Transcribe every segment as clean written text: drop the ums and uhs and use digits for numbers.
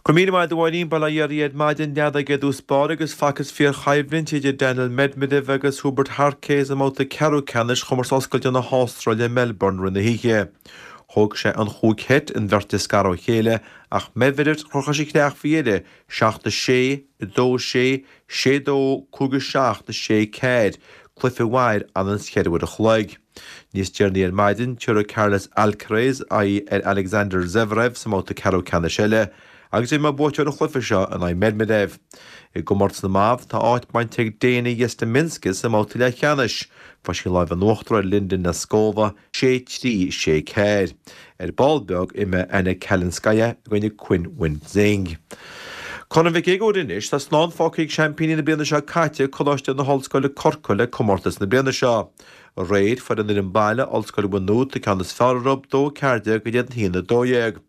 Go raibh míle maith agat a Mháirín, Bail ó Dhia oraibh ar maidin, leathadh i dtús báire agus facthas fíorchoimhlint idir Daniil Medvedev agus Hubert Hurkacz i mbabhta ceathrú ceannais Chomórtas Oscailte na hAstráile i Melbourne rith na hoíche. Thóg sé an chúig sheit an bheirt a scaradh ó chéile ach Medvedev chroch leis an chreach faoi dheireadh, 7-6, 2-6, 6-2, 5-7, 6-4, cluiche a mhair anonn is cheithre uair a chloig. Níos deireanaí ar maidin, tabharfaidh Carlos Alcaraz aghaidh ar Alexander Zverev sa mbabhta ceathrú ceannais eile agus imreoidh buaiteoir an chluiche seo in aghaidh Medvedev. I gcomórtas na mBan, tá áit bainte ag Dayna Yastremska sa mbabhta leathcheannais. Fuair sí an lámh in uachtar ar Linda Noskova, 6-3, 6-4. Ar ball beag, imreoidh Anna Kalinskaya i gcoinne Qinwen Zheng. Corn Mhic Uidhir anois, tá slán fágtha ag seaimpíní na bliana seo caite, Coláiste na hOllscoile Corcaigh le comórtas na bliana seo. Aréir, fuair an fhoireann baile, Ollscoil Mhaigh Nuad, an ceann is fearr orthu, 2-14 in éadan 1-12.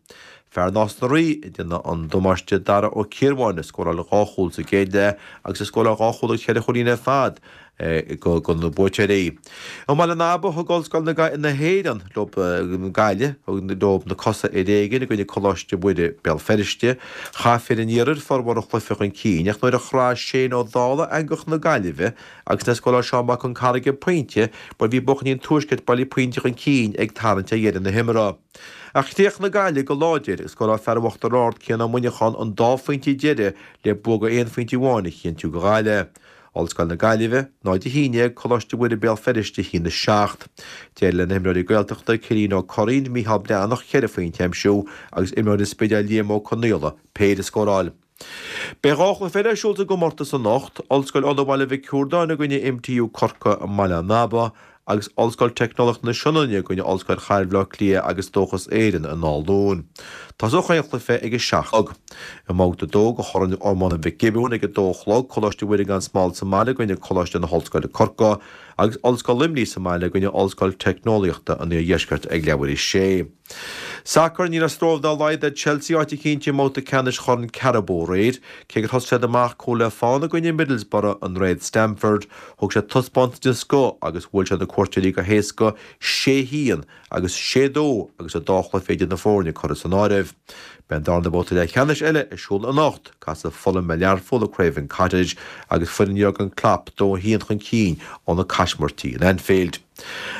Fear Nás na Rí a déanamh an damáiste Dara Ó Ciarbháin a scóráil dhá chúl sa gcéad leath agus a scóráil dhá chúl agus cheithre chúilín ar fad do na buaiteoirí. I mBaile an Aba, thug Ollscoil na hÉireann leo Gaillimh, thug leo na cosa ar éigin i gcoinne Coláiste Mhuire, Béal Feirste. Chaith fir an iarthair formhór an chluiche chun cinn ach nuair a chraith Shane Ó Dálaigh eangach na Gaillimhe agus nuair a scóráil Seán Mac Con Carraige pointe, bhuel bhí buachaillí an tuaiscirt buille pointe chun cinn ag tarraingt ar dheireadh na himeartha. Ach chríochnaigh Gaillimh go láidir agus scóráil fear Uachtar Ard, Cian Ó Muineacháin an dá phointe deiridh le bua de aon phointe amháin a chinntiú do Ghaillimh. Ollscoil na Gaillimhe, 0-11, Coláiste Mhuire Béal Feirste 1-7. D'éirigh le na himreoirí Gaeltachta, Cillian Ó Curraoin, Mícheál Breathnach ceithre phointe a aimsiú agus imreoir an Spidéil Liam Ó Conaola péire a scóráil. Beidh dhá chluiche eile ar siúl sa gcomórtas anocht, Ollscoil Uladh Baile Mhic Ciarnáin i gcoinne MTU Corcaigh i mBaile an Aba agus Ollscoil Teicneolaíochta na Sionainne i gcoinne Ollscoil Chathair Bhaile Átha Cliath agus Dóchas Éireann i nDál Dúin. Tosóidh chaon chluiche ag a 7 a chlog. I mbabhta 2 de Chorn Iomána Mhic Giobúin ag a 2 a chlog, Coláiste Mhuire gan Smál sa mbaile i gcoinne Coláiste na hOllscoile Corcaigh agus Ollscoil Luimnigh sa mbaile i gcoinne Ollscoil Teicneolaíochta an Iardheiscirt ag leathuair théis 6. Sacar, Ní raibh stró dá laghad ar Chelsea áit a chinntiú i mbabhta ceannais Chorn Carabao aréir. Cé gur thosaigh siad amach cúl le fána i gcoinne Middlesbrough i nDroichead Stamford, thug siad taispeántas den scoth agus bhuail siad na cuairteoirí go héasca, sé haon agus sé dó agus an dá chluiche idir na foirne curtha san áireamh. Beidh an darna babhta leathcheannais eile ar siúl anocht, casfaidh Fulham ar Learpholl i Craven Cottage agus foireann Jurgen Klopp dó a haon chun cinn ó na caismirtí in Anfield.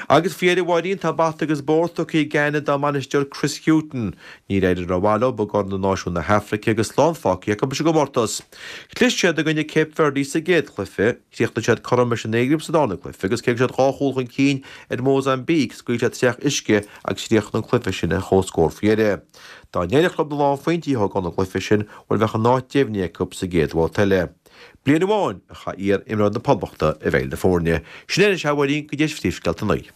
Agus faoi dheireadh a Mháirín, tá bata agus bóthar tugtha ag Ghana dá mbainisteoir Chris Hughton. Níor éirigh rómhaith leo i gCorn na Náisiún na hAfraice agus slán fágtha acu leis an gcomórtas. Chlis siad i gcoinne Cape Verde sa gcéad chluiche, chríochnaigh siad cothrom leis an Éigipt sa darna cluiche agus cé go raibh siad dhá chúl chun cinn ar Mhózaimbíc, scaoil siad isteach uisce agus chríochnaigh an cluiche sin ar comhscór faoi dheireadh. Dá n-éireodh leo na lánphointí a thógáil ón gcluiche sin, bhuel bheadh a n-áit deimhnithe acu sa gcéad bhabhta eile. Bliain amháin a chaith iar-imreoir na Poblachta i bhfeighil na foirne. Sin é anois, a Mháirín, go dtí phríomhscéalta an lae.